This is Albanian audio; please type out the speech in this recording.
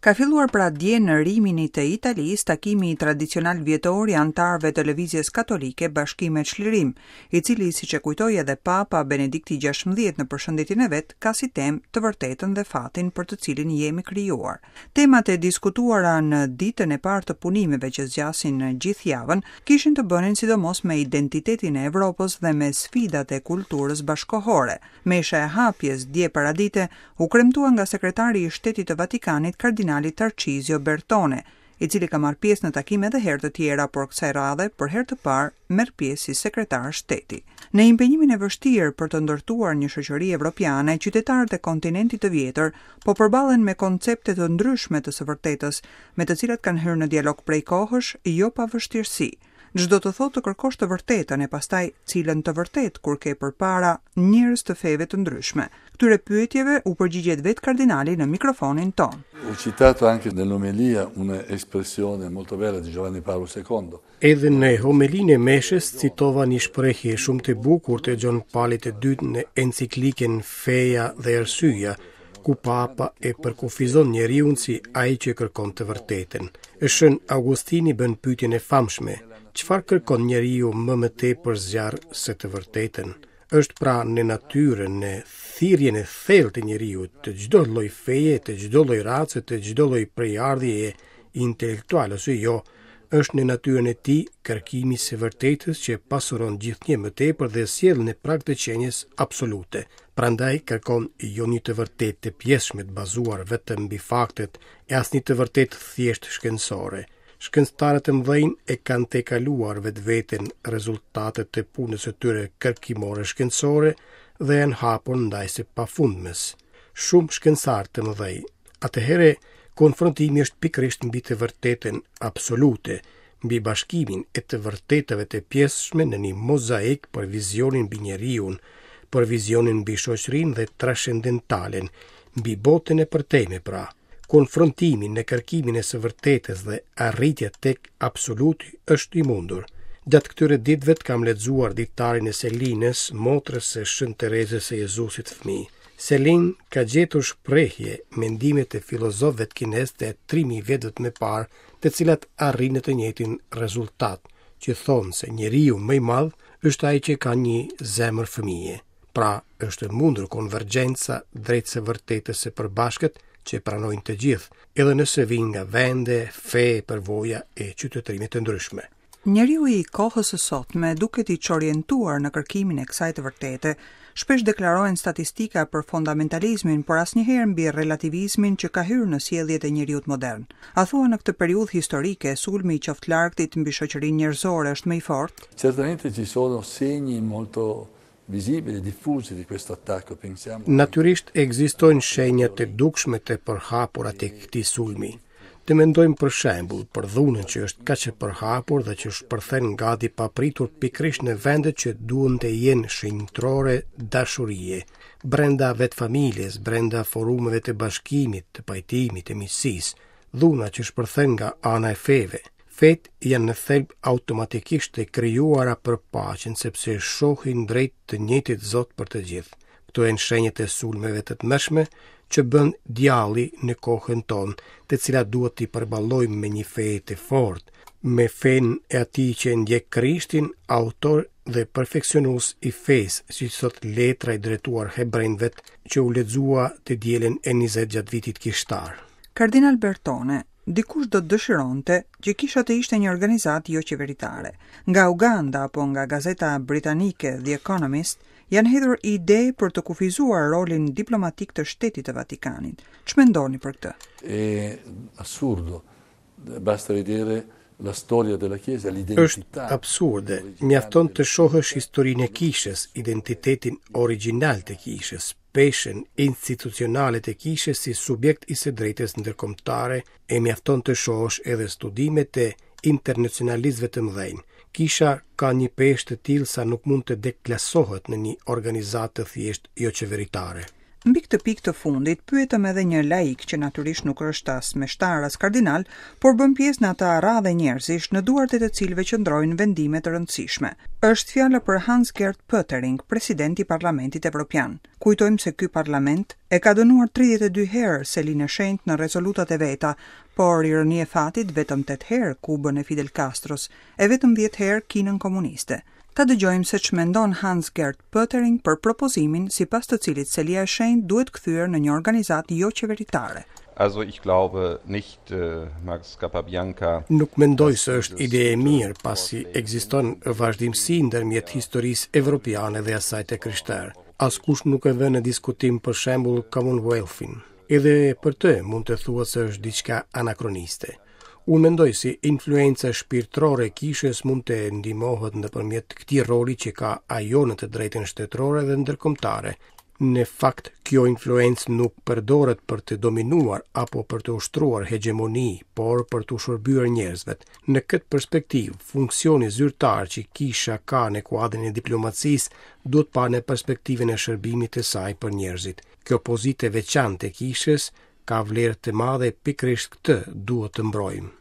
Ka filluar pra dje në Rimini të Italisë takimi tradicional vjetor i anëtarëve të Lëvizjes Katolike Bashkim e Çlirim, i cili, siç e kujtoi edhe Papa Benedikti XVI në përshëndetjen e vet, ka si temë të vërtetën dhe fatin për të cilin jemi krijuar. Temat e diskutuara në ditën e parë të punimeve që zgjasin gjithë javën, kishin të bënin sidomos me identitetin e Evropës dhe me sfidat e kulturës bashkëkohore. Mesha e hapjes dje paradite u kremtua nga sekretari i Shtetit të Vatikanit, kardinali Tarcizio Bertone, i cili ka marrë pjesë në takim edhe herë të tjera, por kësaj radhe për herë të parë merr pjesë si sekretar shteti. Në impenjimin e vështirë për të ndërtuar një shoqëri evropiane, qytetarët e kontinentit të vjetër po përballen me koncepte të ndryshme të së vërtetës, me të cilat kanë hyrë në dialog prej kohësh, jo pa vështirësi. Ç'do të thotë të kërkosh të vërtetën e pastaj cilën të vërtetë kur ke përpara njerëz të feve të ndryshme? Këtyre pyetjeve u përgjigjet vetë kardinali në mikrofonin tonë. Ho citato anche nell'omelia un'espressione molto bella di Giovanni Paolo II. Edhe në homelinë e meshës citova një shprehje shumë të bukur të Gjon Palit të Dytë në enciklikën Feja dhe Arsyeja, ku Papa e përkufizon njeriun si ai që kërkon të vërtetën. E Shën Augustini bën pyetjen e famshme, çfarë kërkon njeriu më më tepër zjarr se të vërtetën? Është pra në natyrën, në thirrjen e thellë të njeriut, të çdo lloj feje, të çdo lloj race, të çdo lloj prejardhjeje intelektuale ose jo, është në natyrën e tij kërkimi i së vërtetës që pasuron gjithnjë më tepër dhe sjell në prag të qenies absolute. Prandaj kërkon jo një të vërtetë të pjesshme të bazuar vetëm mbi faktet e as një të vërtetë thjesht shkencore. Shkencëtarët e mëdhenj e kanë tejkaluar vetveten rezultatet e punës së tyre kërkimore shkencore dhe janë hapur ndaj së pafundmes. Shumë shkencëtarë të mëdhenj. Atëherë konfrontimi është pikërisht mbi të vërtetën absolute, mbi bashkimin e të vërtetave të pjesshme në një mozaik për vizionin mbi njeriun, për vizionin mbi shoqërinë dhe transcendentalen, mbi botën e përtejme pra. Konfrontimi në kërkimin e së vërtetës dhe arritja tek absoluti është i mundur. Gjatë këtyre ditëve kam lexuar ditarin e Selinës, motrës së Shën Terezës së Jezusit fëmijë. Selin ka gjetur shprehje mendimet e filozofëve kinezë të 3000 vjetëve më parë të cilat arrijnë në të njëjtin rezultat, që thonë se njeriu më i madh është ai që ka një zemër fëmije. Pra, është e mundur konvergjenca drejt së vërtetës së përbashkët që e pranojnë të gjithë, edhe nëse vijnë nga vende, fe, përvoja e qytetërime të ndryshme. Njeriu i kohës së sotme duket i çorientuar në kërkimin e kësaj të vërtete. Shpesh deklarohen statistika për fondamentalizmin, por asnjëherë mbi relativizmin që ka hyrë në sjelljet e njeriut modern. A thua në këtë periudhë historike, sulmi i qoftëlargtit mbi shoqërinë njerëzore është më i fortë? Certamente ci sono segni molto visibili, diffusi di questo attacco, pensiamo. Natyrisht ekzistojnë shenja të dukshme të përhapura të këtij sulmi. Të mendojmë për shembull për dhunën që është kaq e përhapur dhe që shpërthen gati papritur pikërisht në vendet që duhen të jenë shenjtërore dashurie, brenda vetë familjes, brenda forumeve të bashkimit, të pajtimit, të miqësisë, dhuna që shpërthen nga ana e feve. Fetë janë në thelb automatikisht të krijuara për paqen sepse shohin drejt të njëjtit Zot për të gjithë. Këto janë shenjat e sulmeve të tmerrshme që bën djalli në kohën tonë, të cilat duhet t'i përballojmë me një fe të fortë, me fenë e atij që e ndjek Krishtin, autor dhe perfeksionues i fesë, siç thotë letra e drejtuar hebrenjve që u lexua të dielën e 20 gjatë vitit kishtar. Kardinal Bertone, Dikush do të dëshironte që kisha të ishte një organizatë joqeveritare. Nga Uganda apo nga gazeta britanike The Economist janë hedhur ide për të kufizuar rolin diplomatik të Shtetit të Vatikanit. Ç'mendoni për këtë? È assurdo. Basta vedere la storia della Chiesa, l'identità. Është absurde. Mjafton të shohësh historinë e kishës, identitetin origjinal të kishës, peshën institucionale të kishës si subjekt i së drejtës ndërkombëtare e mjafton të shohësh edhe studimet e internacionalistëve të mëdhenj. Kisha ka një peshë të tillë sa nuk mund të deklasohet në një organizatë të thjeshtë joqeveritare. Mbi këtë pikë të fundit, pyetëm edhe një laik që natyrisht nuk është as meshtar as kardinal, por bën pjesë në atë aradhe njerëzish në duart e të cilëve qëndrojnë vendime të rëndësishme. Është fjala për Hans-Gert Pöttering, president i Parlamentit Evropian. Kujtojmë se ky parlament e ka dënuar 32 herë Selinë e Shenjtë në rezolutat e veta, por ironi e fatit vetëm 8 herë Kubën e Fidel Castros e vetëm 10 herë Kinën komuniste. Ta dëgjojmë se ç'mendon Hans-Gert Pöttering për propozimin, sipas të cilit Selia e Shenjtë duhet kthyer në një organizatë joqeveritare. Also ich glaube nicht, Max Cappabianca. Nuk mendoj se është ide e mirë, pasi ekziston vazhdimësi ndërmjet historisë evropiane dhe asaj të krishterë. Askush nuk e vë në diskutim për shembull Commonwealth-in. Edhe për të mund të thuhet se është diçka anakroniste. Unë mendoj se influenca shpirtërore e kishës mund të ndihmohet nëpërmjet këtij roli që ka ajo në të drejtën shtetërore dhe ndërkombëtare. Në fakt, kjo influencë nuk përdoret për të dominuar apo për të ushtruar hegjemoni, por për t'u shërbyer njerëzve. Në këtë perspektivë, funksioni zyrtar që kisha ka në kuadrin e diplomacisë duhet parë në perspektivën e shërbimit të saj për njerëzit. Kjo pozitë e veçantë e kishës ka vlerë të madhe pikërisht këtë duhet të mbrojmë.